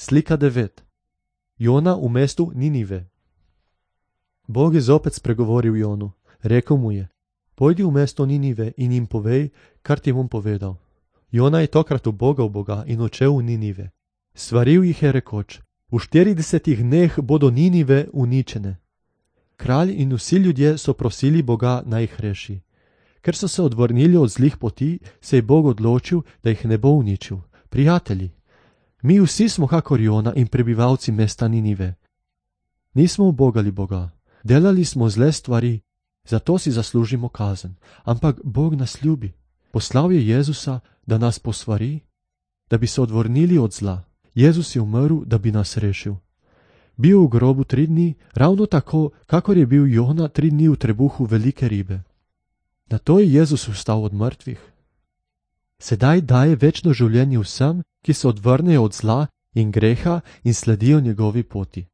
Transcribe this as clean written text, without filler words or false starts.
Slika 9. Jona v mestu Ninive. Bog je zopet spregovoril Jonu. Rekel mu je: pojdi v mesto Ninive in jim povej, kar ti bom povedal. Jona je tokrat ubogal Boga in odšel v Ninive. Svaril jih je rekoč: v 40 dneh bodo Ninive uničene. Kralj in vsi ljudje so prosili Boga, naj jih reši. Ker so se odvrnili od zlih poti, se je Bog odločil, da jih ne bo uničil. Prijatelji, mi vsi smo kakor Jona in prebivalci mesta Ninive. Nismo ubogali Boga, delali smo zle stvari, zato si zaslužimo kazen. Ampak Bog nas ljubi. Poslal je Jezusa, da nas posvari, da bi se odvrnili od zla. Jezus je umrl, da bi nas rešil. Bil v grobu 3 dni, ravno tako, kakor je bil Jona 3 dni v trebuhu velike ribe. Nato je Jezus vstal od mrtvih. Sedaj daje večno življenje vsem, ki se odvrnejo od zla in greha in sledijo njegovi poti.